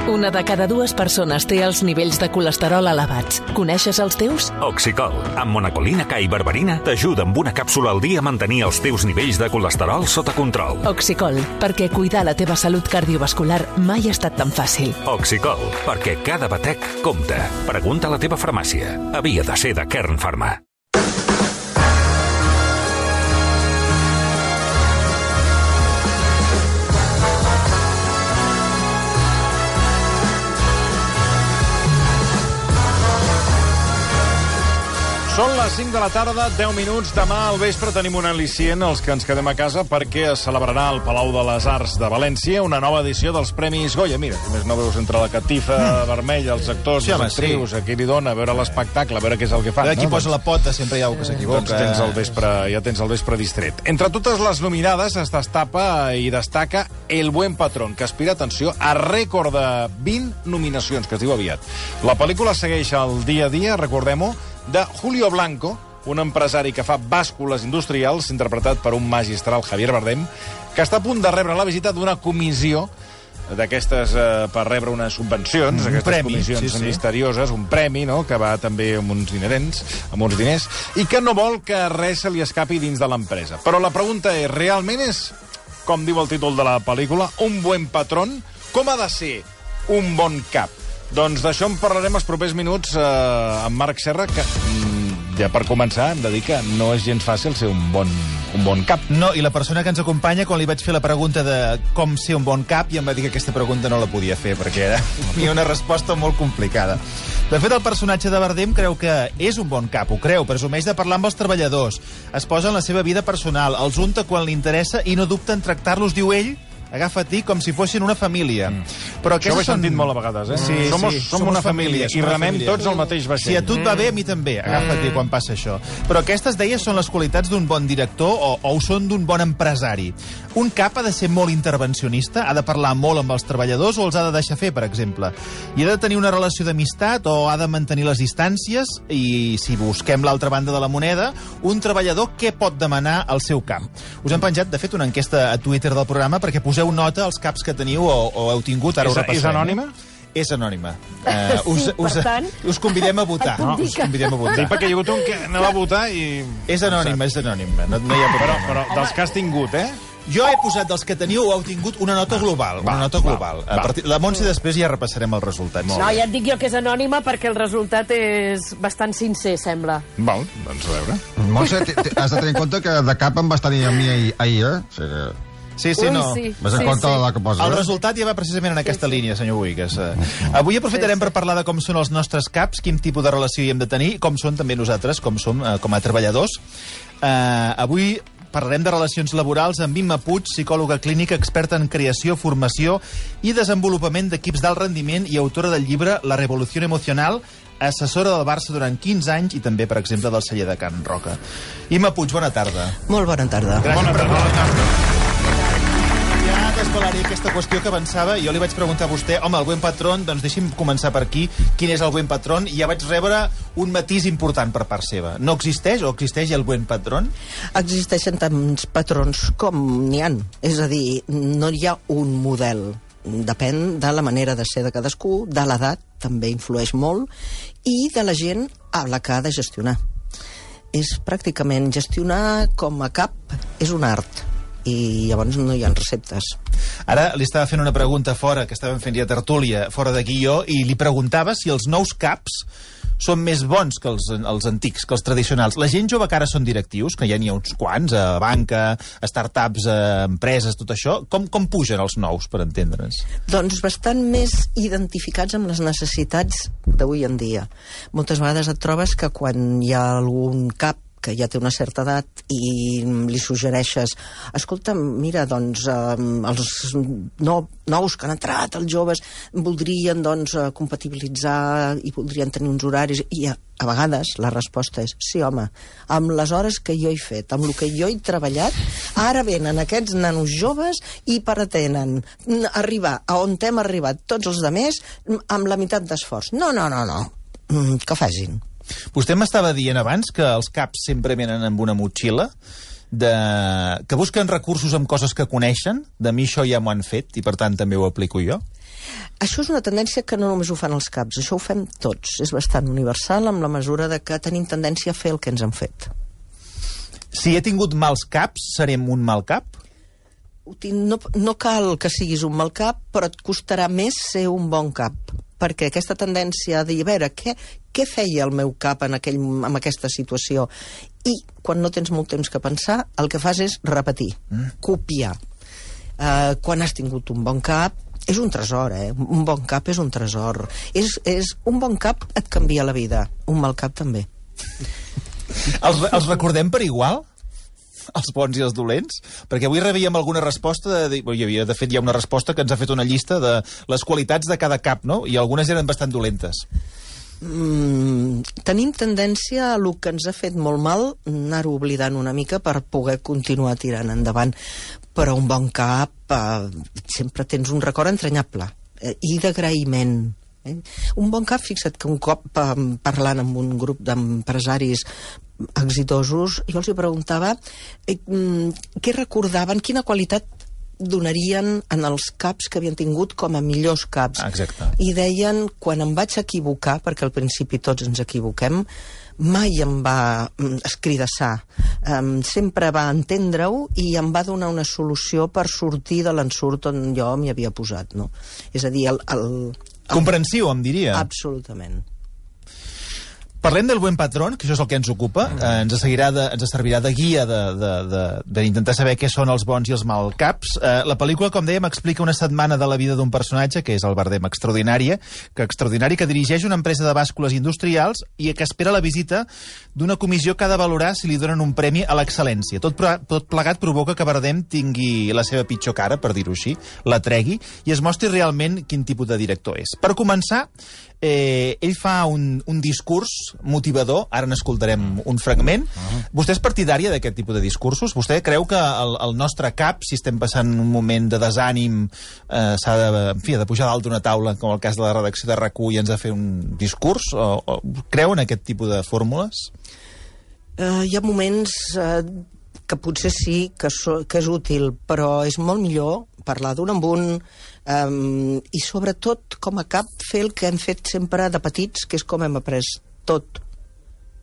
Una de cada dues persones té els nivells de colesterol elevats. Coneixes els teus? Oxicol, amb monacolina K i berberina, t'ajuda amb una càpsula al dia a mantenir els teus nivells de colesterol sota control. Oxicol, perquè cuidar la teva salut cardiovascular mai ha estat tan fàcil. Oxicol, perquè cada batec compta. Pregunta a la teva farmàcia. Havia de ser de Kern Pharma. Són les 5 de la tarda, 10 minuts. Demà al vespre tenim un al·licient, els que ens quedem a casa, perquè es celebrarà al Palau de les Arts de València una nova edició dels Premis Goya. Mira, si més no veus entre la catifa vermella, els actors, les actrius, a qui li dona, a veure l'espectacle, a veure què és el que fan. Qui posa la pota sempre hi ha que s'equivoca. Doncs ja tens el vespre distret. Entre totes les nominades es destapa i destaca El buen patrón, que aspira, atenció, a rècord de 20 nominacions, que es diu aviat. La pel·lícula segueix el dia a dia, recordem-ho, de Julio Blanco, un empresari que fa bàscules industrials, interpretat per un magistral Javier Bardem, que està a punt de rebre la visita d'una comissió d'aquestes per rebre unes subvencions, aquestes comissions misterioses, un premi, no?, que va també amb uns diners, i que no vol que res se li escapi dins de l'empresa. Però la pregunta és, realment és, com diu el títol de la pel·lícula, un buen patrón? Com ha de ser un bon cap? Doncs d'això en parlarem els propers minuts amb Marc Serra, que ja per començar hem de dir que no és gens fàcil ser un bon cap. No, i la persona que ens acompanya, quan li vaig fer la pregunta de com ser un bon cap, ja em va dir que aquesta pregunta no la podia fer, perquè era una resposta molt complicada. De fet, el personatge de Bardem creu que és un bon cap, ho creu, presumeix de parlar amb els treballadors, es posa en la seva vida personal, els unta quan li interessa i no dubta en tractar-los, diu ell, agafa-t'hi com si fossin una família. Però això ho he sentit molt a vegades, eh? Sí, som una família i remem tots al mateix vaixell. Si a tu et va bé, a mi també. Agafa-t'hi quan passa això. Però aquestes, deia, són les qualitats d'un bon director o ho són d'un bon empresari. Un cap ha de ser molt intervencionista, ha de parlar molt amb els treballadors o els ha de deixar fer, per exemple. I ha de tenir una relació d'amistat o ha de mantenir les distàncies i, si busquem l'altra banda de la moneda, un treballador què pot demanar al seu cap? Us hem penjat, de fet, una enquesta a Twitter del programa perquè poseu nota als caps que teniu o heu tingut, ara ho repassarem. És anònima? És anònima. Us convidem a votar. Us convidem a votar. Sí, perquè hi ha hagut un que anava a votar i... És anònima. No hi ha problema. Però dels que has tingut, Jo he posat dels que teniu o heu tingut una nota global. La Montse després ja repassarem els resultats. No, ja et dic jo que és anònima perquè el resultat és bastant sincer, sembla. Val, doncs a veure. Montse, has de tenir en compte que de cap em vas tenir a mi ahir, O sigui que... Sí, no. Vas en compte de la que posa. El resultat ja va precisament en aquesta línia, senyor Buigas. Avui aprofitarem per parlar de com són els nostres caps, quin tipus de relació hi hem de tenir, com són també nosaltres, com som com a treballadors. Avui parlarem de relacions laborals amb Imma Puig, psicòloga clínica, experta en creació, formació i desenvolupament d'equips d'alt rendiment i autora del llibre La revolució emocional, assessora del Barça durant 15 anys i també, per exemple, del celler de Can Roca. Imma Puig, bona tarda. Molt bona tarda. Gràcies per acompanyar-nos. Ja desvelaré aquesta qüestió que avançava. Jo li vaig preguntar a vostè, home, el buen patrón, doncs deixi'm començar per aquí. Quin és el buen patrón? I ja vaig rebre un matís important per part seva. No existeix o existeix el buen patrón? Existeixen tants patrons com n'hi ha. És a dir, no hi ha un model. Depèn de la manera de ser de cadascú, de l'edat, també influeix molt, i de la gent a la que ha de gestionar. És pràcticament gestionar com a cap, és un art. I llavors no hi ha receptes. Ara li estava fent una pregunta fora, que estàvem fent ja tertúlia, fora de guió, i li preguntava si els nous caps són més bons que els antics, que els tradicionals. La gent jove que ara són directius, que ja n'hi ha uns quants, a banca, a startups, a empreses, tot això, com pugen els nous, per entendre'ns? Doncs bastant més identificats amb les necessitats d'avui en dia. Moltes vegades et trobes que quan hi ha algun cap que ja té una certa edat i li suggereixes, escolta, mira, doncs els nous que han entrat, els joves, voldrien doncs compatibilitzar i voldrien tenir uns horaris, i a vegades la resposta és sí, home, amb les hores que jo he fet, amb el que jo he treballat, ara venen aquests nanos joves i pretenen arribar a on hem arribat tots els altres amb la meitat d'esforç. No, que facin. Vostè m'estava dient abans que els caps sempre venen amb una motxilla, que busquen recursos amb coses que coneixen, de mi això ja m'ho han fet i per tant també ho aplico jo. Això és una tendència que no només ho fan els caps, això ho fem tots. És bastant universal amb la mesura de que tenim tendència a fer el que ens han fet. Si he tingut mals caps, serem un mal cap? No cal que siguis un mal cap, però et costarà més ser un bon cap. Perquè aquesta tendència a dir, a veure, què feia el meu cap en aquesta situació? I quan no tens molt temps que pensar, el que fas és repetir, copiar. Quan has tingut un bon cap, és un tresor, un bon cap és un tresor. Un bon cap et canvia la vida, un mal cap també. Els recordem per igual? Els bons i els dolents? Perquè avui rebíem alguna resposta, de fet hi ha una resposta que ens ha fet una llista de les qualitats de cada cap, no? I algunes eren bastant dolentes. Tenim tendència a el que ens ha fet molt mal anar-ho oblidant una mica per poder continuar tirant endavant. Però un bon cap sempre tens un record entranyable i d'agraïment. Un bon cap, fixa't que un cop parlant amb un grup d'empresaris exitosos, jo els preguntava què recordaven, quina qualitat donarien en els caps que havien tingut com a millors caps. Exacte. I deien, quan em vaig equivocar, perquè al principi tots ens equivoquem, mai em va escridassar. Sempre va entendre-ho i em va donar una solució per sortir de l'ensurt on jo m'hi havia posat, no? És a dir, comprensiu, em diria. Absolutament. Parlem del buen patrón, que això és el que ens ocupa. Ens servirà de guia d'intentar saber què són els bons i els mal caps. La pel·lícula, com dèiem, explica una setmana de la vida d'un personatge, que és el Bardem Extraordinari, que dirigeix una empresa de bàscules industrials i que espera la visita d'una comissió que ha de valorar si li donen un premi a l'excel·lència. Tot plegat provoca que Bardem tingui la seva pitjor cara, per dir-ho així, la tregui, i es mostri realment quin tipus de director és. Per començar, ell fa un discurs motivador, ara n'escoltarem un fragment. Vostè és partidària d'aquest tipus de discursos? Vostè creu que el nostre cap, si estem passant un moment de desànim, s'ha de pujar dalt d'una taula, com el cas de la redacció de RAC1, i ens ha de fer un discurs? O creu en aquest tipus de fórmules? Hi ha moments que potser sí que és útil, però és molt millor parlar d'un amb un i sobretot com a cap fer el que hem fet sempre de petits, que és com hem après tot.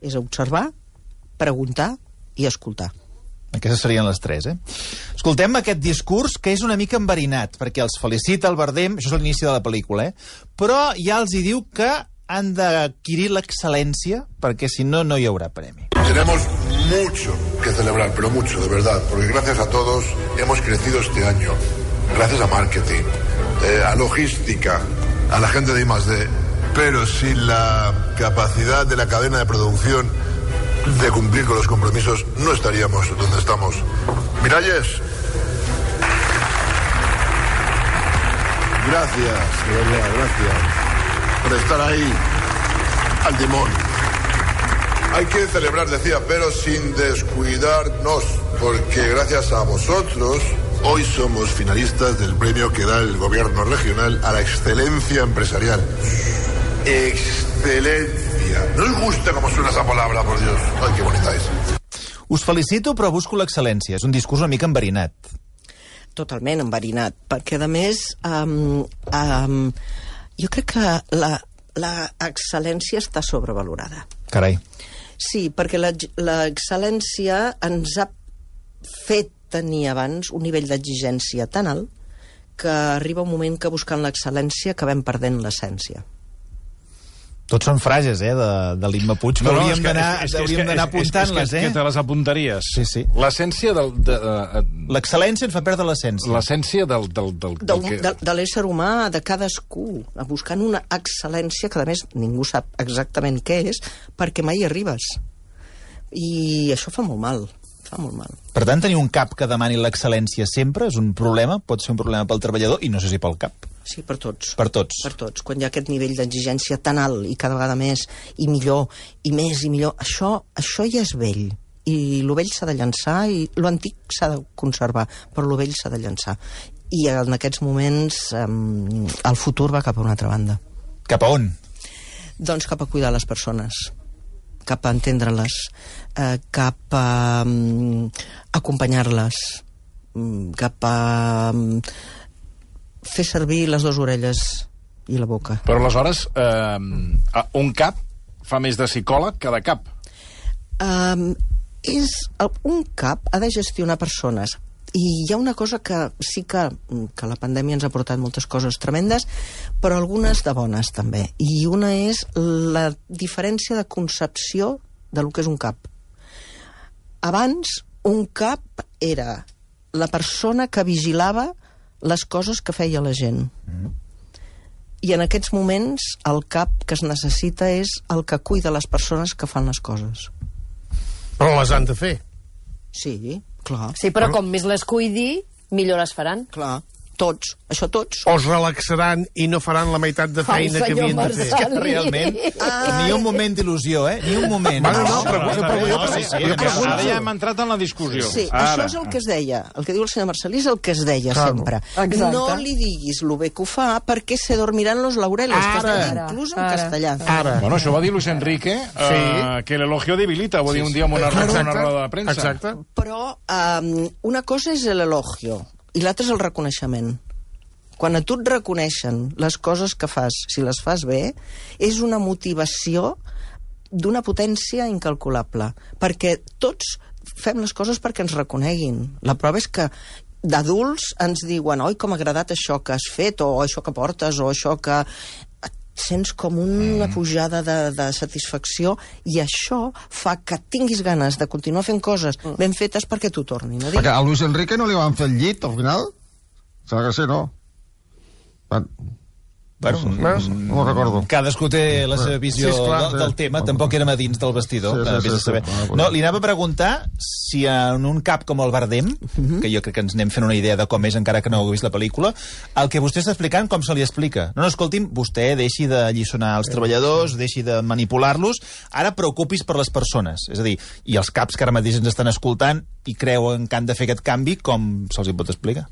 És observar, preguntar i escoltar. Aquestes serien les tres, Escoltem aquest discurs, que és una mica enverinat, perquè els felicita el Bardem, això és l'inici de la pel·lícula, però ja els hi diu que han d'adquirir l'excel·lència, perquè si no, no hi haurà premi. Tenemos mucho que celebrar, pero mucho, de verdad, porque gracias a todos hemos crecido este año. Gracias a marketing, a logística, a la gente de I+D. Pero sin la capacidad de la cadena de producción de cumplir con los compromisos, no estaríamos donde estamos. Miralles, gracias, de verdad, gracias por estar ahí al timón. Hay que celebrar, decía, pero sin descuidarnos, porque gracias a vosotros hoy somos finalistas del premio que da el gobierno regional a la excelencia empresarial. Excelencia. ¿No os gusta cómo suena esa palabra, por Dios? Ay, qué bonita és. Us felicito, però busco l'excel·lència. És un discurs una mica enverinat. Totalment enverinat, perquè a més jo crec que la excel·lència està sobrevalorada. Carai. Sí, perquè l'excel·lència ens ha fet tenir abans un nivell d'exigència tan alt que arriba un moment que buscant l'excel·lència acabem perdent l'essència. Tots són frases, de l'Imma Puig, que hauríem d'anar apuntant-les, Que te les apuntaries. Sí, sí. L'essència l'excel·lència ens fa perdre l'essència. L'essència de l'ésser humà, de cadascú, buscant una excel·lència que, a més, ningú sap exactament què és, perquè mai arribes. I això fa molt mal. Per tant, tenir un cap que demani l'excel·lència sempre és un problema, pot ser un problema pel treballador i no sé si pel cap. Sí, per tots. Per tots. Per tots. Quan hi ha aquest nivell d'exigència tan alt i cada vegada més i millor i més i millor, això ja és vell. I lo vell s'ha de llançar i lo antic s'ha de conservar, però lo vell s'ha de llançar. I en aquests moments el futur va cap a una altra banda. Cap a on? Doncs cap a cuidar les persones, cap a entendre-les, cap a acompanyar-les, cap a fer servir les dues orelles i la boca. Però aleshores, un cap fa més de psicòleg que de cap. Un cap ha de gestionar persones. I hi ha una cosa que sí que la pandèmia ens ha portat moltes coses tremendes, però algunes de bones també. I una és la diferència de concepció de lo que és un cap. Abans, un cap era la persona que vigilava les coses que feia la gent. I en aquests moments el cap que es necessita és el que cuida les persones que fan les coses. Però les han de fer. Sí, clar. Sí, però com més les cuidi, millor les faran. Clar, tots, això tots. O es relaxaran i no faran la meitat de feina que havien de fer. És que realment, ni un moment d'il·lusió, Ni un moment. Ara ja hem entrat en la discussió. Sí, això és el que es deia. El que diu el senyor Marcelí és el que es deia sempre. Exacte. No li diguis lo bé que ho fa perquè se dormiran los laureles, que es deia inclús en castellà. Bueno, això va dir Luis Enrique, que l'elogio debilita, ho va dir un dia en una roda de premsa. Exacte. Però una cosa és l'elogio i l'altre és el reconeixement. Quan a tu et reconeixen les coses que fas, si les fas bé, és una motivació d'una potència incalculable. Perquè tots fem les coses perquè ens reconeguin. La prova és que d'adults ens diuen oi, com ha agradat això que has fet, o això que portes, o això que... Et sents com una pujada de satisfacció i això fa que tinguis ganes de continuar fent coses ben fetes perquè t'ho tornin a dir. Perquè a Luis Enrique no li van fer el llit, al final? Sembla que sí, no? Bueno, no ho recordo. Cadascú té la seva visió del tema, tampoc érem a dins del vestidor. No, li anava a preguntar si en un cap com el Bardem, que jo crec que ens anem fent una idea de com és, encara que no heu vist la pel·lícula, el que vostè està explicant, com se li explica? No, escolti'm, vostè deixi de alliçonar els treballadors, deixi de manipular-los, ara preocupis per les persones. És a dir, i els caps que ara mateix ens estan escoltant i creuen que han de fer aquest canvi, com se'ls hi pot explicar?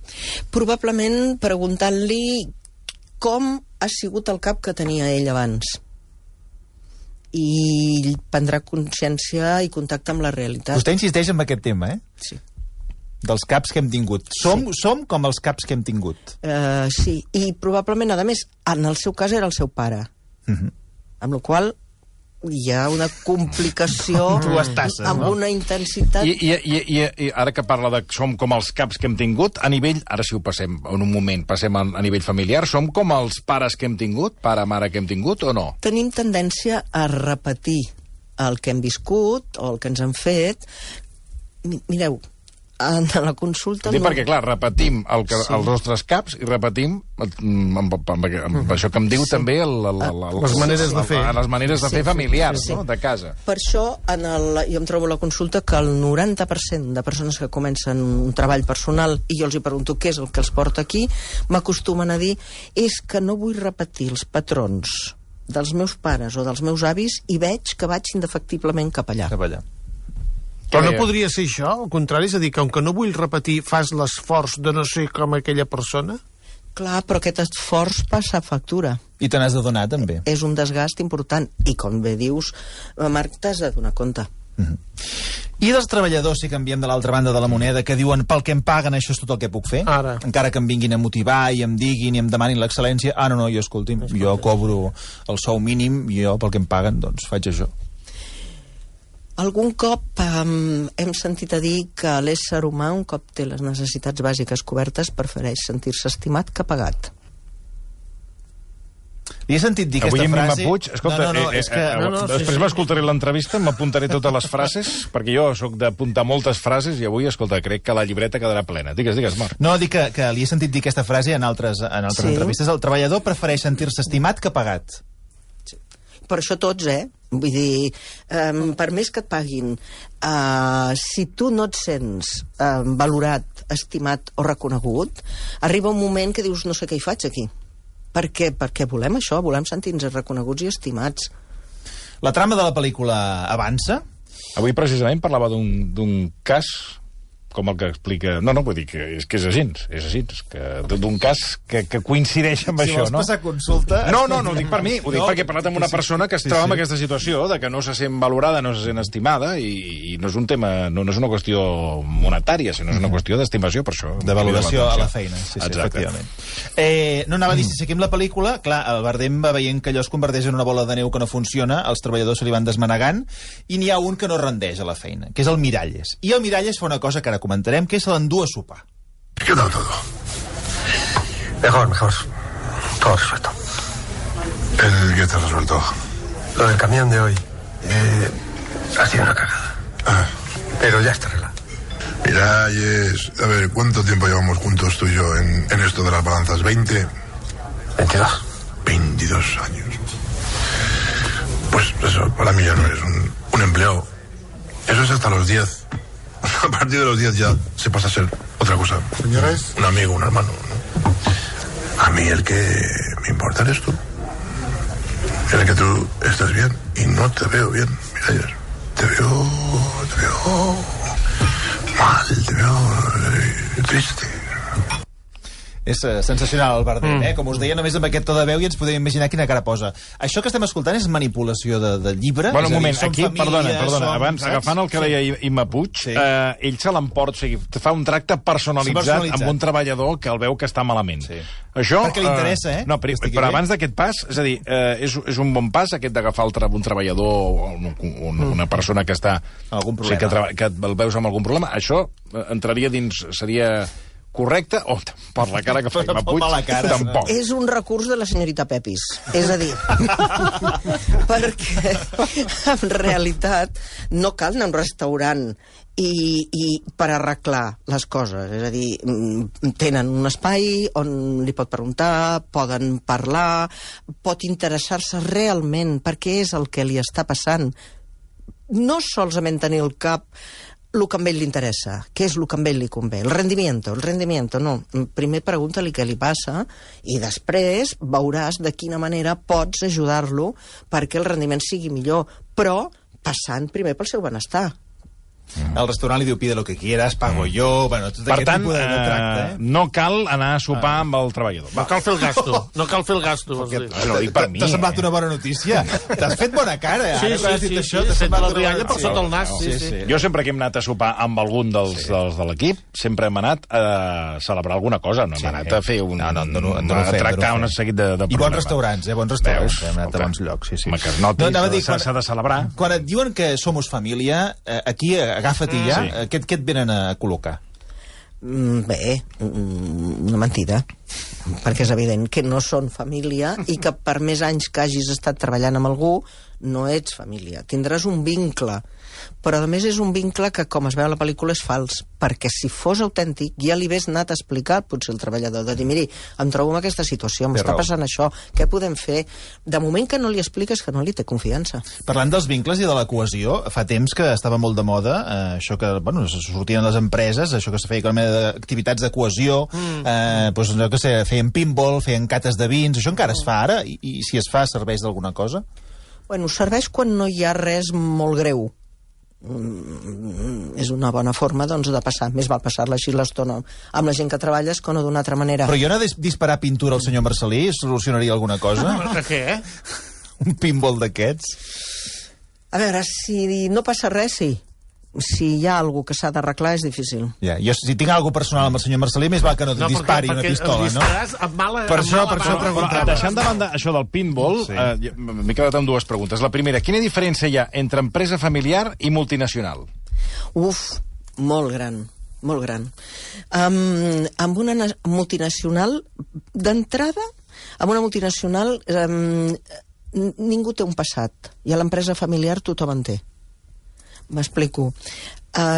Probablement preguntant-li com ha sigut el cap que tenia ell abans. I prendrà consciència i contacte amb la realitat. Vostè insisteix en aquest tema, Sí. Dels caps que hem tingut. Som com els caps que hem tingut. Sí, i probablement, a més, en el seu cas era el seu pare. Amb la qual hi ha una complicació amb una intensitat... I ara que parla de som com els caps que hem tingut, a nivell, ara si ho passem en un moment, passem a nivell familiar, som com els pares que hem tingut, pare-mare que hem tingut o no? Tenim tendència a repetir el que hem viscut o el que ens han fet. Mireu, en la consulta... Perquè, clar, repetim els nostres caps i repetim amb això que em diu també les maneres de fer. Les maneres de fer familiars, no?, de casa. Per això, jo em trobo a la consulta que el 90% de persones que comencen un treball personal i jo els hi pregunto què és el que els porta aquí, m'acostumen a dir és que no vull repetir els patrons dels meus pares o dels meus avis i veig que vaig indefectiblement cap allà. Però no podria ser això, al contrari, és a dir, que com que no vull repetir, fas l'esforç de no ser com aquella persona? Clar, però aquest esforç passa factura. I te n'has de donar, també. És un desgast important. I, com bé dius, Marc, t'has de donar compte. I dels treballadors, si canviem de l'altra banda de la moneda, que diuen pel que em paguen això és tot el que puc fer? Ara. Encara que em vinguin a motivar i em diguin i em demanin l'excel·lència, no, jo, escolti'm, jo cobro el sou mínim i jo pel que em paguen, doncs faig això. Algun cop hem sentit a dir que l'ésser humà, un cop té les necessitats bàsiques cobertes, prefereix sentir-se estimat que pagat. Li he sentit dir aquesta frase... Puig, escolta, després m'escoltaré l'entrevista, m'apuntaré totes les frases, perquè jo sóc d'apuntar moltes frases i avui, escolta, crec que la llibreta quedarà plena. Digues, Marc. No, dic que li he sentit dir aquesta frase en altres entrevistes. El treballador prefereix sentir-se estimat que pagat. Per això tots, Vull dir, per més que et paguin, si tu no et sents valorat, estimat o reconegut, arriba un moment que dius, no sé què hi faig aquí. Perquè volem això, volem sentir-nos reconeguts i estimats. La trama de la pel·lícula avança? Avui precisament parlava d'un cas com el que explica... No, vull dir que és així, que d'un cas que coincideix amb això, no? Si vols passar consulta... No, ho dic per mi, ho dic perquè he parlat amb una persona que es troba en aquesta situació, de que no se sent valorada, no se sent estimada, i no és un tema, no és una qüestió monetària, sinó és una qüestió d'estimació, per això. De valoració a la feina, sí, efectivament. No anava a dir, si seguim la pel·lícula, clar, el Bardem va veient que allò es converteix en una bola de neu que no funciona, els treballadors se li van desmanegant, i n'hi ha un que no rendeix a la feina, que és el Miralles. I el Miralles fa una cosa que ara comentarem, que se l'endú a sopar. ¿Qué tal todo? Mejor. Todo resuelto. ¿El qué te has resuelto? Lo del camión de hoy. Ha sido una cagada. Pero ya está arreglado. Mira, Yes, a ver, ¿cuánto tiempo llevamos juntos tú y yo en esto de las balanzas? ¿20? 22. 22 años. Pues eso, para mí ya no eres un empleo. Eso es hasta los 10. A partir de los 10 ya se pasa a ser otra cosa. Señores. Un amigo, un hermano, ¿no? A mí el que me importa eres tú. El que tú estés bien. Y no te veo bien, mira, te veo mal, te veo triste. És sensacional, el Bardem, Com us deia, només amb aquest to de veu i ens podem imaginar quina cara posa. Això que estem escoltant és manipulació de llibre? Bueno, un moment, aquí, perdona, abans, agafant el que deia Imma Puig, ell se l'emporta, o sigui, fa un tracte personalitzat amb un treballador que el veu que està malament. Això, perquè li interessa, No, però abans d'aquest pas, és a dir, és un bon pas aquest d'agafar un treballador o una persona que està... Algun problema. Que el veus amb algun problema. Això entraria dins... Seria... correcte? O per la cara que fa Imma Puig, tampoc. És un recurs de la senyorita Pepis. És a dir, perquè en realitat no cal anar a un restaurant i per arreglar les coses. És a dir, tenen un espai on li pot preguntar, poden parlar, pot interessar-se realment per què és el que li està passant. No solament tenir el cap el que a ell li interessa, què és el que a ell li convé. El rendimiento, no. Primer pregunta-li què li passa i després veuràs de quina manera pots ajudar-lo perquè el rendiment sigui millor, però passant primer pel seu benestar. El restaurant li diu pide lo que quieras, pago yo... Bueno, tot aquest tipus de tracte, no cal anar a sopar amb el treballador. No cal fer el gasto. No cal fer el gasto. T'ha semblat una bona notícia. T'has fet bona cara. Sí, t'ha semblat la rialla per sota el nas. Jo sempre que hem anat a sopar amb algun dels de l'equip, sempre hem anat a celebrar alguna cosa. No hem anat a fer a tractar un seguit de problemes. I bons restaurants, bons restaurants. Hem anat a bons llocs, sí. Que es noti, s'ha de celebrar. Quan et diuen que somos família, aquí agafa't i ja, què et venen a col·locar? Bé, una mentida, perquè és evident que no són família i que per més anys que hagis estat treballant amb algú no ets família. Tindràs un vincle, però a més és un vincle que, com es veu a la pel·lícula, és fals, perquè si fos autèntic ja li hagués anat a explicar potser el treballador, de dir, miri, em trobo en aquesta situació, m'està passant això, què podem fer? De moment que no li expliques que no li té confiança. Parlant dels vincles i de la cohesió, fa temps que estava molt de moda això que, bueno, sortien les empreses, això que se feia com d'activitats de cohesió, doncs allò que feien pinball, feien cates de vins, això encara es fa ara? I si es fa, serveix d'alguna cosa? Bueno, serveix quan no hi ha res molt greu. És una bona forma, doncs, de passar. Més val passar-la així l'estona amb la gent que treballes que no d'una altra manera. Però jo no disparar pintura al senyor Marcelí solucionaria alguna cosa? Què? Un pinball d'aquests? A veure, si no passa res, sí. Si hi ha alguna que s'ha d'arreglar, és difícil. Ja, jo, si tinc alguna personal amb el senyor Marcelí, més val que no dispari una pistola, no? Per això preguntava. Deixant de banda això del pinball, m'he quedat amb dues preguntes. La primera, quina diferència hi ha entre empresa familiar i multinacional? Molt gran. Molt gran. Amb una multinacional, d'entrada, amb una multinacional ningú té un passat. I a l'empresa familiar tothom en té. M'explico.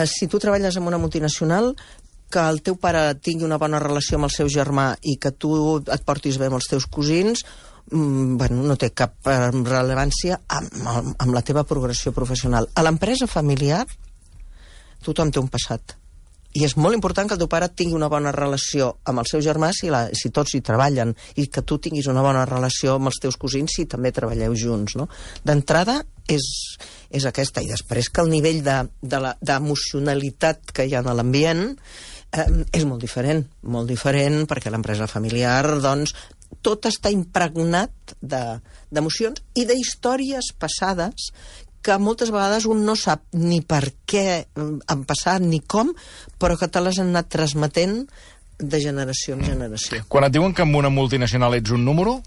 Si tu treballes en una multinacional, que el teu pare tingui una bona relació amb el seu germà i que tu et portis bé amb els teus cosins, no té cap rellevància amb la teva progressió professional. A l'empresa familiar, tothom té un passat. I és molt important que el teu pare tingui una bona relació amb el seu germà si tots hi treballen, i que tu tinguis una bona relació amb els teus cosins si també treballeu junts, no? D'entrada, és aquesta. I després que el nivell d'emocionalitat que hi ha a l'ambient és molt diferent perquè l'empresa familiar, doncs, tot està impregnat d'emocions i d'històries passades que moltes vegades un no sap ni per què han passat ni com, però que te les han anat transmetent de generació en generació. Quan et diuen que en una multinacional ets un número,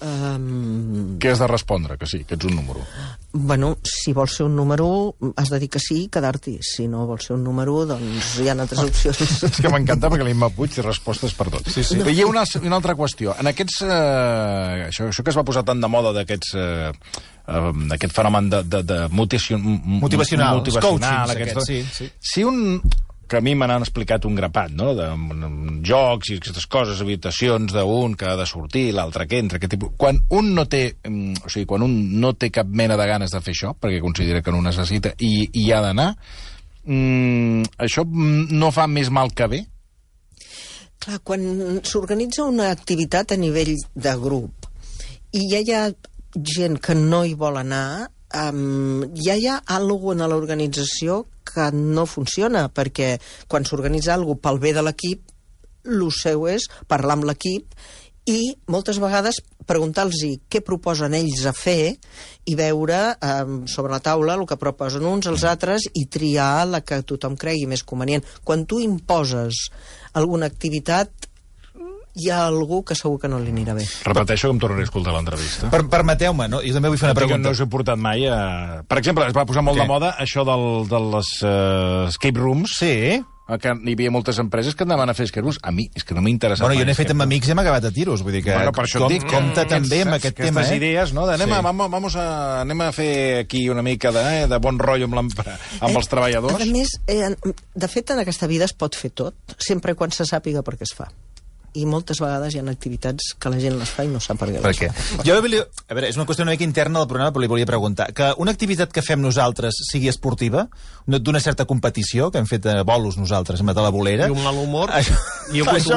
què has de respondre? Que sí, que ets un número. Bueno, si vols ser un número, has de dir que sí i quedar-t'hi. Si no vols ser un número, doncs hi ha altres opcions. És que m'encanta perquè l'Imma Puig té respostes per tot. Sí. Però hi ha una altra qüestió. En aquests... això que es va posar tan de moda d'aquest fenomen de motivacional, coaching, sí. Si un... que a mi me n'han explicat un grapat, no?, de jocs i aquestes coses, habitacions d'un que ha de sortir, l'altre que entra, aquest tipus... Quan un no té, quan un no té cap mena de ganes de fer això, perquè considera que no ho necessita i hi ha d'anar, això no fa més mal que bé? Clar, quan s'organitza una activitat a nivell de grup i ja hi ha gent que no hi vol anar, ja hi ha alguna cosa a l'organització que no funciona, perquè quan s'organitza alguna cosa pel bé de l'equip, el seu és parlar amb l'equip i moltes vegades preguntar-los què proposen ells a fer i veure sobre la taula el que proposen uns als altres i triar la que tothom cregui més convenient. Quan tu imposes alguna activitat, hi ha algú que segur que no li anirà bé. Repeteixo que em tornaré a escoltar l'entrevista. Permeteu-me, no? Jo també vull fer una pregunta. No us he portat mai a... Per exemple, es va posar molt de moda això de les escape rooms. Sí. Que hi havia moltes empreses que anaven a fer escape rooms. A mi és que no m'ha interessat mai. Bueno, jo n'he fet amb amics i hem acabat a tiros. Vull dir que per això et dic, compta també amb aquest tema. Aquestes idees, no? Anem a fer aquí una mica de bon rotllo amb els treballadors. A més, de fet, en aquesta vida es pot fer tot, sempre quan se sàpiga per què es fa. I moltes vegades hi ha activitats que la gent les fa i no sap per què les fa. Jo volia... A veure, és una qüestió una mica interna del programa, però li volia preguntar. Que una activitat que fem nosaltres sigui esportiva, d'una certa competició, que hem fet bolos nosaltres amb la bolera... I un mal humor. Això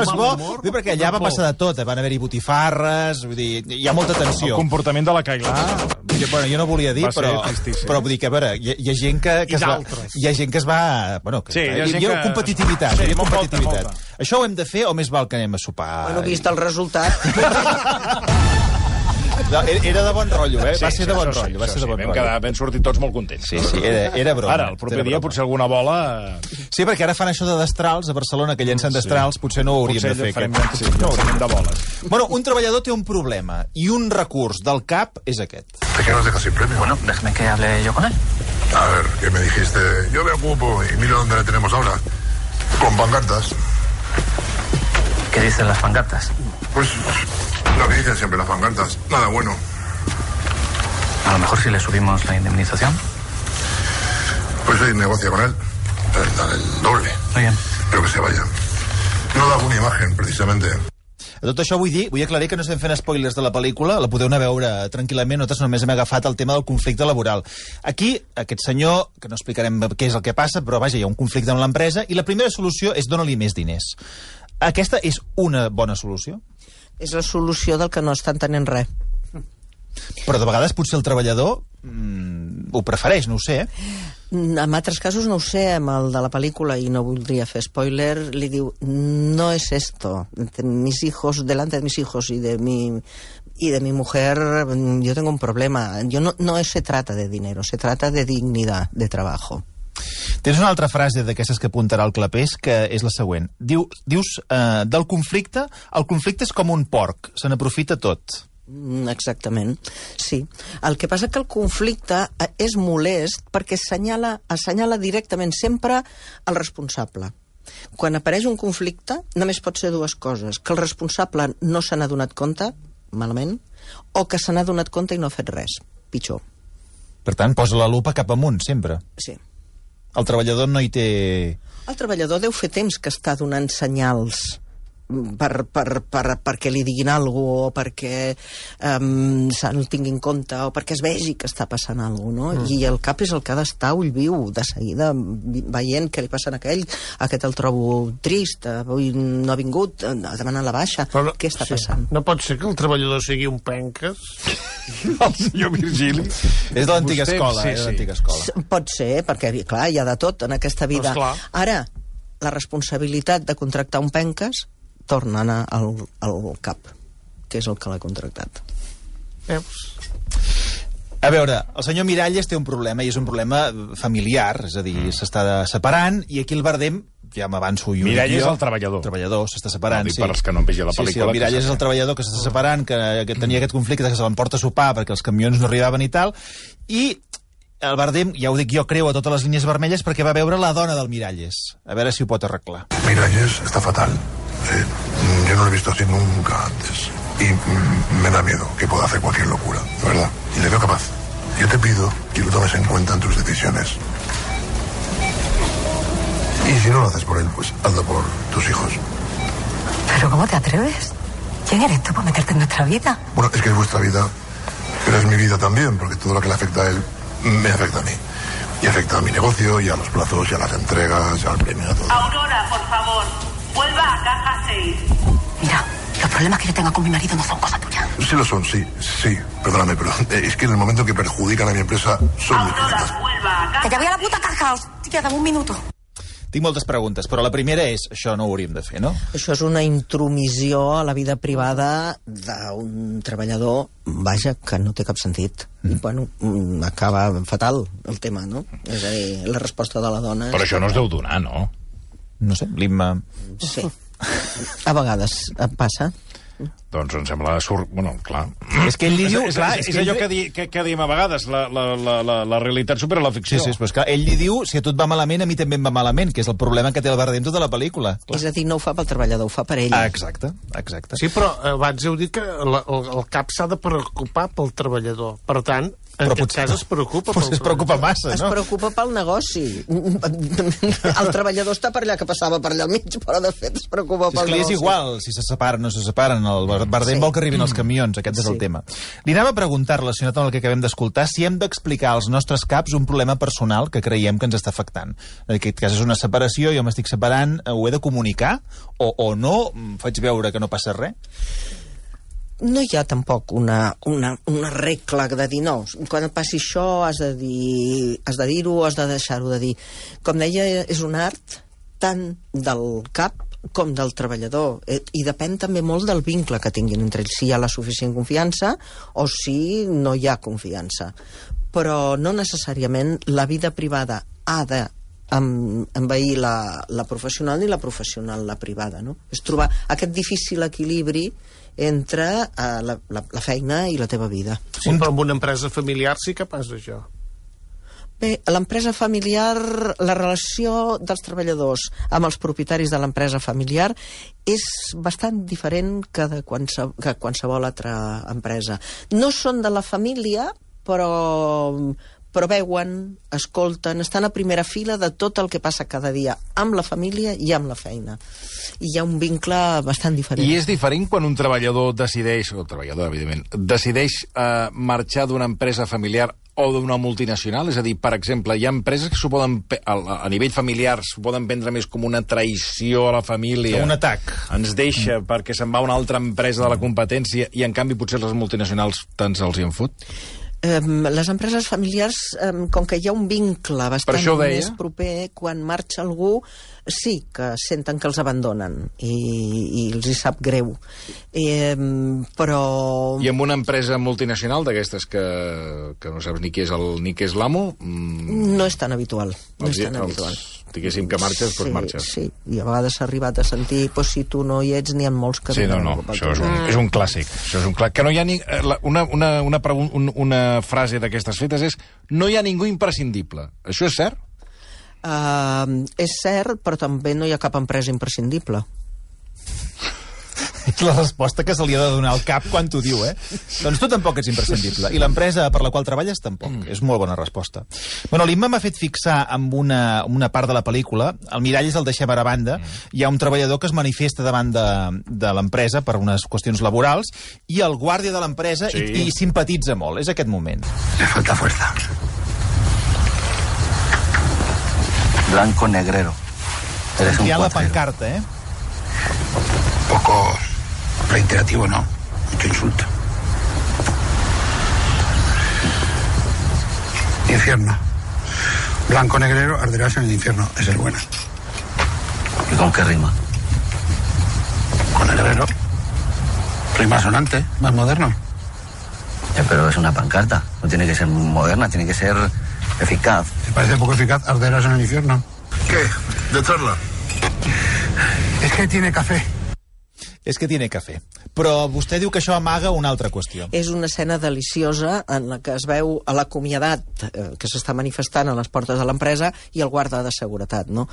és bo, perquè allà va passar de tot. Van haver-hi botifarres, vull dir, hi ha molta tensió. El comportament de la Cailà... Bueno, jo no volia dir, però vull dir que, a veure, hi ha gent que es va... Bueno, hi ha competitivitat. Això ho hem de fer o més val que anem a sopar? Bueno, vist el resultat... Era de bon rotllo, eh? Va ser de bon rotllo. Vam sortir tots molt contents. Sí, era broma. Ara, el proper dia, potser alguna bola... Sí, perquè ara fan això de destrals, a Barcelona, que llencen destrals, potser no ho hauríem de fer. No hauríem de boles. Bueno, un treballador té un problema, i un recurs del CAP és aquest. ¿De qué nos dejas sin premio? Bueno, déjame que hable yo con él. A ver, ¿qué me dijiste? Yo me ocupo y mira dónde le tenemos ahora. Con pancartas. ¿Qué dicen las pancartas? Pues lo que dicen siempre las pancartas. Nada bueno. A lo mejor si le subimos la indemnización. Pues hoy negocia con él. Dale el doble. Muy bien. Pero que se vaya. No da una imagen, precisamente. A tot això vull aclarir que no estem fent spoilers de la pel·lícula, la podeu anar a veure tranquil·lament, nosaltres només hem agafat el tema del conflicte laboral. Aquí, aquest senyor, que no explicarem què és el que passa, però vaja, hi ha un conflicte amb l'empresa, i la primera solució és dona-li més diners. Aquesta és una bona solució? És la solució del que no està entenent res. Però de vegades potser el treballador ho prefereix, no ho sé. En altres casos no ho sé, amb el de la pel·lícula, i no voldria fer spoiler, li diu, no es esto, mis hijos, delante de mis hijos y de mi mujer, yo tengo un problema. No se trata de dinero, se trata de dignidad de trabajo. Tens una altra frase d'aquestes que apuntarà el Clapés, que és la següent. Dius, del conflicte, el conflicte és com un porc, se n'aprofita tot. Exactament, sí. El que passa que el conflicte és molest perquè assenyala directament sempre el responsable. Quan apareix un conflicte, només pot ser dues coses. Que el responsable no se n'ha donat compte, malament, o que se n'ha donat compte i no ha fet res, pitjor. Per tant, posa la lupa cap amunt, sempre. Sí. El treballador no hi té... El treballador deu fer temps que està donant senyals perquè li diguin alguna cosa, o perquè se'l tingui en compte, o perquè es vegi que està passant alguna cosa, no? I el cap és el que ha d'estar ull viu, de seguida, veient què li passa a aquest el trobo trist, avui no ha vingut, ha demanat la baixa, què està passant? No pot ser que el treballador sigui un penques? El senyor Virgili. És de l'antiga escola. Pot ser, perquè, clar, hi ha de tot en aquesta vida. Ara, la responsabilitat de contractar un penques torna a anar al cap, que és el que l'ha contractat. A veure, el senyor Miralles té un problema, i és un problema familiar, és a dir, s'està separant, i aquí el Bardem, ja m'avanço jo... Miralles és el treballador. El treballador, s'està separant, sí. Per als que no han vist la pel·lícula. Sí, el Miralles és el treballador que s'està separant, que tenia aquest conflicte, que se l'emporta a sopar perquè els camions no arribaven i tal, i el Bardem, ja ho dic jo, creu a totes les línies vermelles perquè va veure la dona del Miralles. A veure si ho pot arreglar. Miralles está fatal. Yo no lo he visto así nunca antes. Y me da miedo que pueda hacer cualquier locura, de verdad. Y le veo capaz. Yo te pido que lo tomes en cuenta en tus decisiones. Y si no lo haces por él, pues hazlo por tus hijos. ¿Pero cómo te atreves? ¿Quién eres tú para meterte en nuestra vida? Bueno, es que es vuestra vida, pero es mi vida también, porque todo lo que le afecta a él me afecta a mí. Y afecta a mi negocio, y a los plazos, y a las entregas, y al premio, a todo. Aurora, por favor, vuelva a caja 6. Mira, los problemas que yo tenga con mi marido no son cosa tuya. Sí lo son, sí, perdóname, pero es que en el momento que perjudican a mi empresa son muy Aurora, vuelva a caja. Que te voy a la puta caja, hòstia, dame un minuto. Tinc moltes preguntes, però la primera és, això no ho hauríem de fer, no? Això és una intromissió a la vida privada d'un treballador, vaja, que no té cap sentit. I, bueno, acaba fatal el tema, no? És a dir, la resposta de la dona... Però això no es deu donar, no? No sé, l'Imma... Sí. A vegades passa. Doncs em sembla... Bueno, clar. És que ell li diu... És allò que diem a vegades, la realitat supera la ficció. Sí, però és que ell li diu, si a tu et va malament, a mi també em va malament, que és el problema que té el Bardem tota la pel·lícula. És a dir, no ho fa pel treballador, ho fa per ell. Exacte. Sí, però abans heu dit que el cap s'ha de preocupar pel treballador. Per tant, en aquest cas es preocupa pel es preocupa massa, no? Es preocupa pel negoci. El treballador està per allà, que passava per allà al mig, però de fet es preocupa pel negoci. És igual si se separen o no se separen. El Bardem vol que arribin els camions, aquest és el tema. Li anava a preguntar, relacionat amb el que acabem d'escoltar, si hem d'explicar als nostres caps un problema personal que creiem que ens està afectant. En aquest cas és una separació, jo m'estic separant, ho he de comunicar? O no? Faig veure que no passa res? No hi ha tampoc una regla de dir no, quan et passi això has de dir-ho o has de deixar-ho de dir. Com deia, és un art tant del cap com del treballador, i depèn també molt del vincle que tinguin entre ells, si hi ha la suficient confiança o si no hi ha confiança. Però no necessàriament la vida privada ha de envair la professional ni la professional la privada, no? És trobar aquest difícil equilibri entre la feina i la teva vida. Sí, però en una empresa familiar sí que passa això. Bé, l'empresa familiar, la relació dels treballadors amb els propietaris de l'empresa familiar és bastant diferent que qualsevol altra empresa. No són de la família, però veuen, escolten, estan a primera fila de tot el que passa cada dia amb la família i amb la feina. I hi ha un vincle bastant diferent. I és diferent quan un treballador decideix, o treballador, evidentment, decideix marxar d'una empresa familiar o d'una multinacional? És a dir, per exemple, hi ha empreses que s'ho poden, a nivell familiar, s'ho poden prendre més com una traïció a la família. Un atac. Ens deixa perquè se'n va a una altra empresa de la competència i, en canvi, potser les multinacionals tant se'ls hi en fot? Les empreses familiars, com que hi ha un vincle bastant més proper, quan marxa algú, sí que senten que els abandonen i els hi sap greu. Però... I en una empresa multinacional d'aquestes que no saps ni qui és l'amo... No és tan habitual. No és tan habitual. Diguéssim que marxes, doncs marxes. Sí, i a vegades s'ha arribat a sentir si tu no hi ets, n'hi ha molts que... Sí, no, això és un clàssic. Això és un clàssic. Que no hi ha ni... Una frase d'aquestes fetes és: no hi ha ningú imprescindible. Això és cert? És cert, però també no hi ha cap empresa imprescindible. És la resposta que se li ha de donar al cap quan t'ho diu, Doncs tu tampoc ets imprescindible. I l'empresa per la qual treballes tampoc. És molt bona resposta. Bueno, l'Imma m'ha fet fixar amb una part de la pel·lícula. El mirall és el deixem a banda. Hi ha un treballador que es manifesta davant de l'empresa per unes qüestions laborals i el guàrdia de l'empresa hi simpatitza molt. És aquest moment. Me falta fuerza. Blanco negrero. Eres un la cuatrero. pancarta, Poco reiterativo, ¿no? Mucho insulto. Infierno. Blanco negrero, arderás en el infierno. Esa es buena. ¿Y con qué rima? Con negrero. Rima sonante, más moderno. Pero es una pancarta. No tiene que ser moderna, tiene que ser eficaz. ¿Te parece poco eficaz? Arderás en el infierno. ¿Qué? ¿De charla? Es que tiene café. És que tiene cafè. Però vostè diu que això amaga una altra qüestió. És una escena deliciosa en la que es veu a l'acomiadat que s'està manifestant a les portes de l'empresa i el guarda de seguretat, no?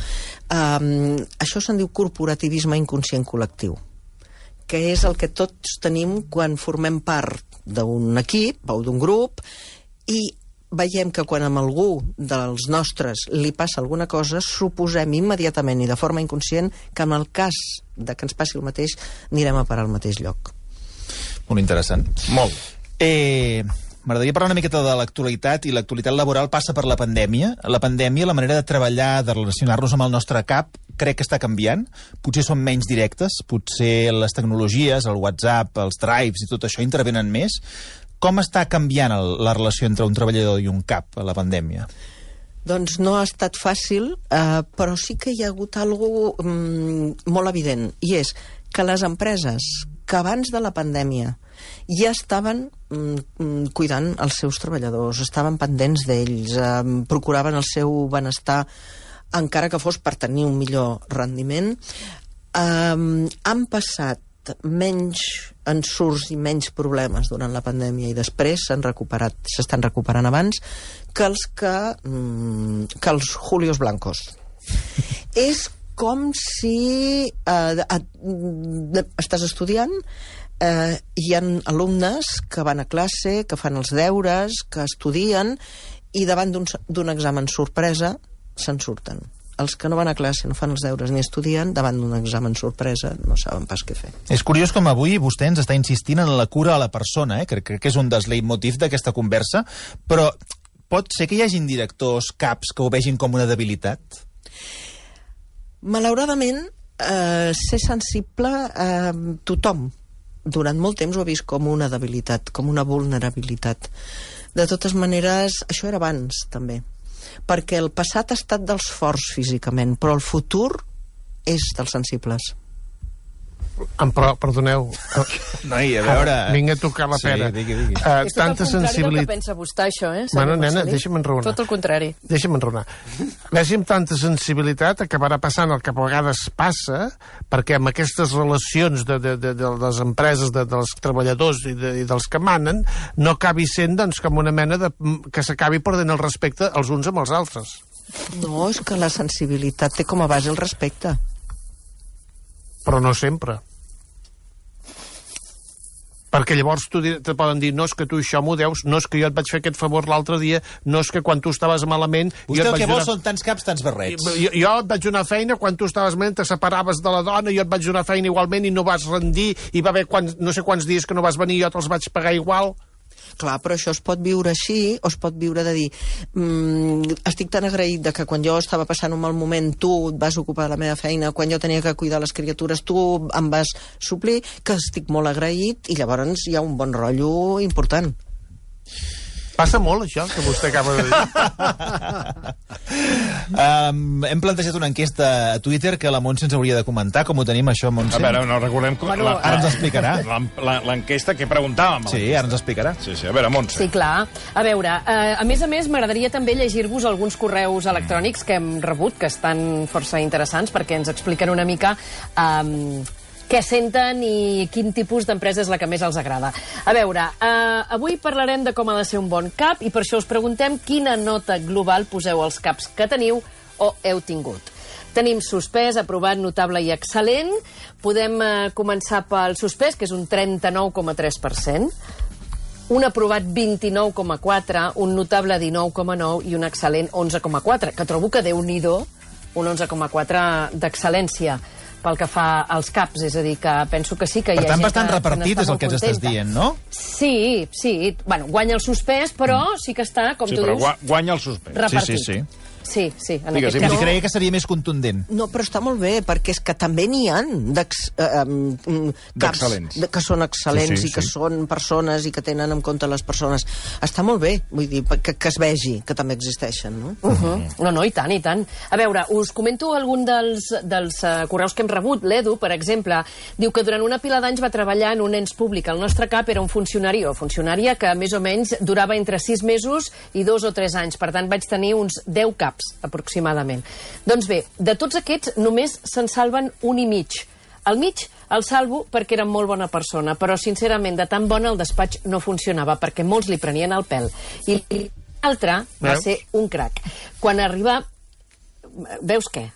Això se'n diu corporativisme inconscient col·lectiu, que és el que tots tenim quan formem part d'un equip o d'un grup i veiem que quan amb algú dels nostres li passa alguna cosa, suposem immediatament i de forma inconscient que en el cas de que ens passi el mateix anirem a parar al mateix lloc. Molt interessant. Molt. M'agradaria parlar una miqueta de l'actualitat, i l'actualitat laboral passa per la pandèmia. La pandèmia, la manera de treballar, de relacionar-nos amb el nostre cap, crec que està canviant. Potser són menys directes, potser les tecnologies, el WhatsApp, els drives i tot això intervenen més. Com està canviant la relació entre un treballador i un cap a la pandèmia? Doncs no ha estat fàcil, però sí que hi ha hagut alguna molt evident, i és que les empreses que abans de la pandèmia ja estaven cuidant els seus treballadors, estaven pendents d'ells, procuraven el seu benestar, encara que fos per tenir un millor rendiment, han passat menys ensurts i menys problemes durant la pandèmia i després s'estan recuperant abans que els Julios Blancos. És com si estàs estudiant, hi ha alumnes que van a classe, que fan els deures, que estudien i davant d'un examen sorpresa se'n surten. Els que no van a classe, no fan els deures ni estudien, davant d'un examen sorpresa no saben pas què fer. És curiós com avui vostè ens està insistint en la cura a la persona, crec que és un dels leitmotivs d'aquesta conversa, però pot ser que hi hagin directors, caps, que ho vegin com una debilitat? Malauradament, ser sensible tothom durant molt temps ho ha vist com una debilitat, com una vulnerabilitat. De totes maneres, això era abans, també. Perquè el passat ha estat dels forts físicament, però el futur és dels sensibles. Perdoneu. Noi, a veure... Vinga a tocar la pera. Sí, digui. És tot el contrari del que pensa vostè, això, Bueno, nena, deixa'm enraonar. Tot el contrari. Deixa'm enraonar. Vegi amb tanta sensibilitat acabarà passant el que a vegades passa, perquè amb aquestes relacions de les empreses, dels treballadors i dels que manen, no acabi sent doncs, com una mena que s'acabi perdent el respecte els uns amb els altres. No, és que la sensibilitat té com a base el respecte. Però no sempre. Perquè llavors te poden dir, no és que tu això m'ho deus, no és que jo et vaig fer aquest favor l'altre dia, no és que quan tu estaves malament... Vostè el que vol són tants caps, tants barrets. Jo et vaig donar feina quan tu estaves malament, te separaves de la dona, jo et vaig donar feina igualment i no vas rendir, i va haver no sé quants dies que no vas venir, jo te'ls vaig pagar igual... Clar, però això es pot viure així, o es pot viure de dir estic tan agraït de que quan jo estava passant un mal moment tu et vas ocupar de la meva feina, quan jo tenia que cuidar les criatures tu em vas suplir, que estic molt agraït i llavors hi ha un bon rotllo important. Passa molt, això, que vostè acaba de dir. Hem plantejat una enquesta a Twitter que la Montse ens hauria de comentar. Com ho tenim, això, Montse? A veure, no recordem... Ara ens explicarà. L'enquesta que preguntàvem. Sí, ara ens explicarà. Sí, a veure, Montse. Sí, clar. A veure, a més, m'agradaria també llegir-vos alguns correus electrònics que hem rebut, que estan força interessants, perquè ens expliquen una mica... què senten i quin tipus d'empresa és la que més els agrada. A veure, avui parlarem de com ha de ser un bon cap i per això us preguntem quina nota global poseu als caps que teniu o heu tingut. Tenim suspès, aprovat, notable i excel·lent. Podem començar pel suspès, que és un 39,3%. Un aprovat 29,4%, un notable 19,9% i un excel·lent 11,4%, que trobo que Déu-n'hi-do un 11,4% d'excel·lència pel que fa als CAPs, és a dir, que penso que sí que hi ha gent que... Per tant, bastant repartit és el que ens estàs dient, no? Sí. Bueno, guanya el suspès, però sí que està, com tu dius... Sí, però guanya el suspès. Repartit. Sí. Sí, en Digues, aquest cas... Creia que seria més contundent. No, però està molt bé, perquè és que també n'hi ha caps que són excel·lents i que són persones i que tenen en compte les persones. Està molt bé, vull dir, que es vegi que també existeixen, no? No, i tant, i tant. A veure, us comento algun dels correus que hem rebut. L'Edu, per exemple, diu que durant una pila d'anys va treballar en un ens públic. El nostre cap era un funcionari o funcionària que més o menys durava entre 6 mesos i 2 o 3 anys. Per tant, vaig tenir uns 10 caps aproximadament. Doncs bé, de tots aquests només se'n salven un i mig. Al mig el salvo perquè era molt bona persona, però sincerament de tan bona el despatx no funcionava perquè molts li prenien el pèl. I l'altre va ser un crac. Quan arriba... Veus què?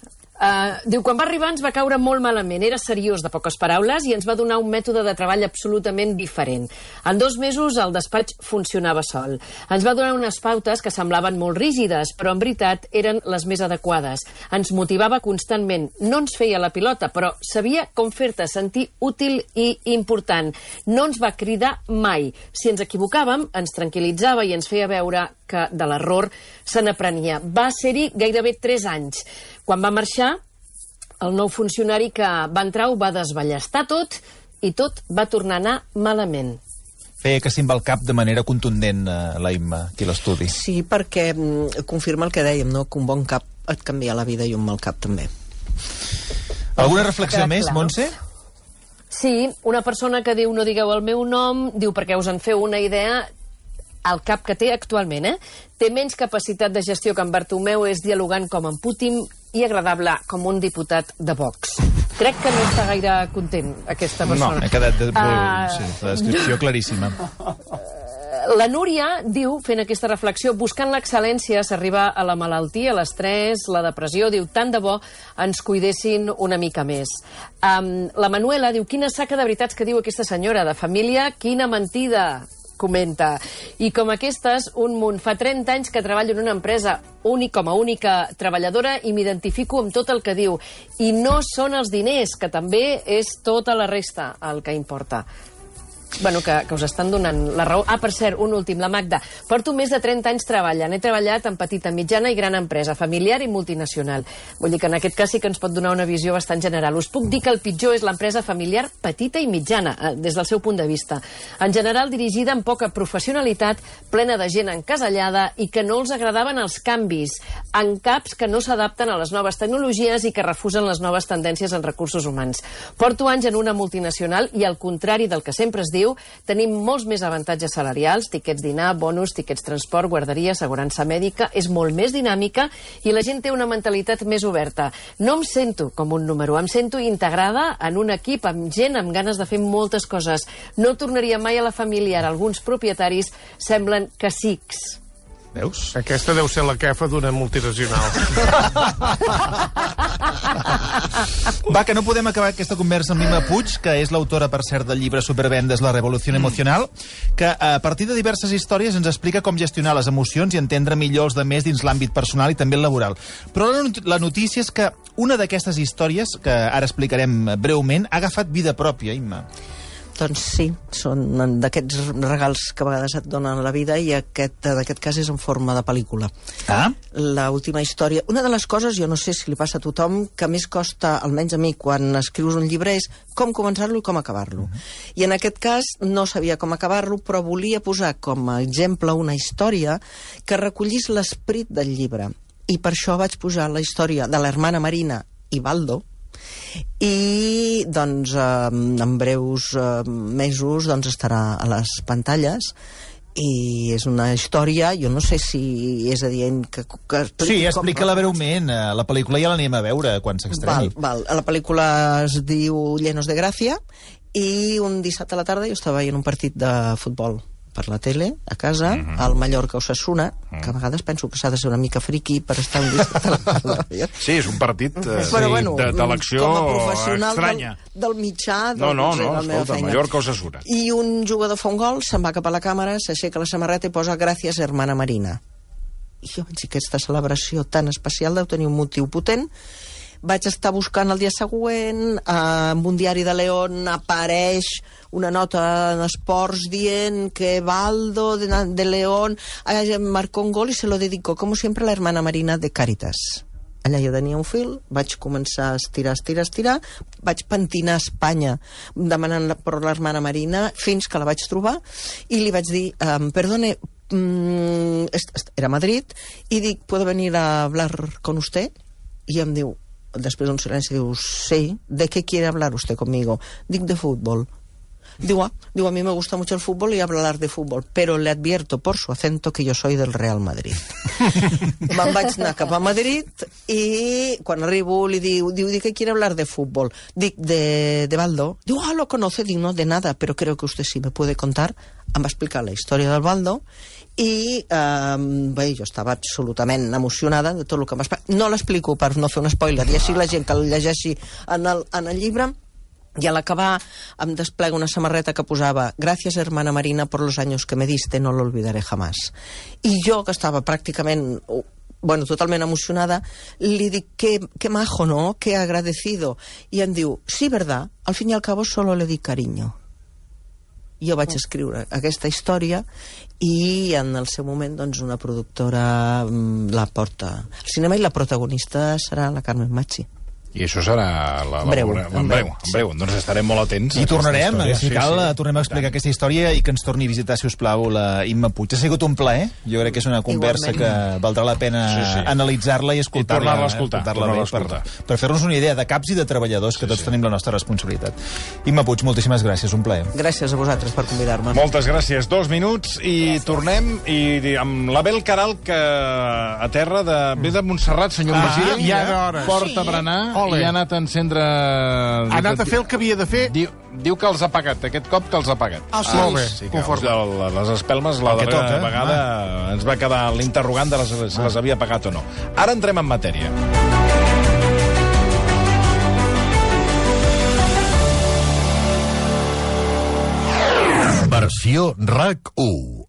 Diu, quan va arribar ens va caure molt malament, era seriós, de poques paraules, i ens va donar un mètode de treball absolutament diferent. En 2 mesos el despatx funcionava sol. Ens va donar unes pautes que semblaven molt rígides, però en veritat eren les més adequades. Ens motivava constantment, no ens feia la pilota, però sabia com fer-te sentir útil i important. No ens va cridar mai. Si ens equivocàvem, ens tranquil·litzava i ens feia veure que de l'error se n'aprenia. Va ser-hi gairebé 3 anys. Quan va marxar, el nou funcionari que va entrar ho va desballestar tot i tot va tornar a anar malament. Feia que simba el cap de manera contundent, la Imma, aquí a l'estudi. Sí, perquè confirma el que dèiem, no? Que un bon cap et canvia la vida i un mal cap també. Alguna reflexió més, Montse? Sí, una persona que diu no digueu el meu nom, diu perquè us en feu una idea... El cap que té actualment, té menys capacitat de gestió que en Bartomeu, és dialogant com en Putin i agradable com un diputat de Vox. Crec que no està gaire content, aquesta persona. No, m'he quedat sí, la descripció claríssima. La Núria diu, fent aquesta reflexió, buscant l'excel·lència s'arriba a la malaltia, l'estrès, la depressió, diu, tant de bo ens cuidessin una mica més. La Manuela diu, quina saca de veritats que diu aquesta senyora, de família, quina mentida, comenta. I com aquestes, un munt. Fa 30 anys que treballo en una empresa com a única treballadora i m'identifico amb tot el que diu. I no són els diners, que també és tota la resta el que importa. Bueno, que us estan donant la raó. Per cert, un últim, la Magda. Porto més de 30 anys treballant. He treballat en petita, mitjana i gran empresa, familiar i multinacional. Vull dir que en aquest cas sí que ens pot donar una visió bastant general. Us puc dir que el pitjor és l'empresa familiar petita i mitjana, des del seu punt de vista. En general, dirigida amb poca professionalitat, plena de gent encasellada i que no els agradaven els canvis, en caps que no s'adapten a les noves tecnologies i que refusen les noves tendències en recursos humans. Porto anys en una multinacional i, al contrari del que sempre es diu, tenim molts més avantatges salarials, tiquets dinar, bonus, tiquets transport, guarderia, assegurança mèdica, és molt més dinàmica i la gent té una mentalitat més oberta. No em sento com un número, em sento integrada en un equip amb gent amb ganes de fer moltes coses. No tornaria mai a la família, alguns propietaris semblen cacics. Veus? Aquesta deu ser la quefa d'una multinacional. Va, que no podem acabar aquesta conversa amb Imma Puig, que és l'autora, per cert, del llibre Supervendes, la revolució emocional, que a partir de diverses històries ens explica com gestionar les emocions i entendre millor els demés dins l'àmbit personal i també el laboral. Però la notícia és que una d'aquestes històries, que ara explicarem breument, ha agafat vida pròpia, Imma. Doncs sí, són d'aquests regals que a vegades et donen la vida i aquest cas és en forma de pel·lícula. L'última història... Una de les coses, jo no sé si li passa a tothom, que més costa, almenys a mi, quan escrius un llibre, és com començar-lo i com acabar-lo. I en aquest cas no sabia com acabar-lo, però volia posar com a exemple una història que recollís l'esperit del llibre. I per això vaig posar la història de l'hermana Marina i Baldo, i doncs en breus mesos doncs estarà a les pantalles i és una història, jo no sé si és adient que sí, explica-la breument, la pel·lícula ja l'anem a veure quan s'estreni. La pel·lícula es diu Llenos de Gràcia i un dissabte a la tarda jo estava veient un partit de futbol per la tele, a casa, al Mallorca-Osasuna, que a vegades penso que s'ha de ser una mica friqui per estar en vista. Sí, és un partit d'elecció com a professional estranya. del mitjà, No, la meva escolta, feina. Mallorca-Osasuna. I un jugador fa un gol, se'n va cap a la càmera, s'aixeca la samarreta i posa gràcies, hermana Marina. I jo vaig dir, aquesta celebració tan especial deu tenir un motiu potent. Vaig estar buscant el dia següent, en un diari de León apareix una nota en esports dient que Baldo de León marcó un gol y se lo dedicó, como siempre, a la hermana Marina de Càritas. Allà jo tenia un fil, vaig començar a estirar, vaig pentinar Espanya demanant per l'hermana Marina fins que la vaig trobar i li vaig dir, perdone, era a Madrid, i dic, ¿puedo venir a hablar con usted? I em diu, després d'un silenci, diu, sí, ¿de qué quiere hablar usted conmigo? Dic, de fútbol. Digo, a mí me gusta mucho el fútbol y hablar de fútbol, pero le advierto por su acento que yo soy del Real Madrid. Me'n vaig anar cap a Madrid i quan arribo li diu, ¿de qué quiere hablar de fútbol? Dic, de Baldo. Diu, lo conoce? Dic, no, de nada, pero creo que usted sí me puede contar. Em va explicar la història del Baldo i bé, jo estava absolutament emocionada de tot el que em va explicar. No l'explico per no fer un spoiler, i així la gent que el llegeixi en el llibre. Y al acabar em desplega una samarreta que posava «Gracias, hermana Marina, por los años que me diste, no lo olvidaré jamás». I jo, que estava pràcticament, totalment emocionada, li dic «Qué majo, ¿no? Qué agradecido». I em diu «Sí, verdad, al fin y al cabo solo le di cariño». Jo vaig escriure aquesta història i en el seu moment doncs, una productora la porta al cinema i la protagonista serà la Carmen Machi. I això serà en breu. Doncs estarem molt atents. I tornarem, si cal, tornem a explicar aquesta història i que ens torni a visitar, si us plau, la Imma Puig. Ha sigut un plaer. Jo crec que és una conversa que valdrà la pena analitzar-la i escoltar-la. I tornar-la a escoltar. Per fer-nos una idea de caps i de treballadors, que tots tenim la nostra responsabilitat. Imma Puig, moltíssimes gràcies, un plaer. Gràcies a vosaltres per convidar-me. Moltes gràcies. 2 minuts i tornem i amb l'Abel Caral, que a terra ve de Montserrat, senyor president. Ja d'hores. Porta a berenar. I ha anat a encendre... Ha anat a fer el que havia de fer. Diu que els ha pagat, aquest cop que els ha pagat. Sí. Molt bé, conforme. Les espelmes, la darrera vegada ens va quedar l'interrogant de si les havia pagat o no. Ara entrem en matèria. Versió RAC 1.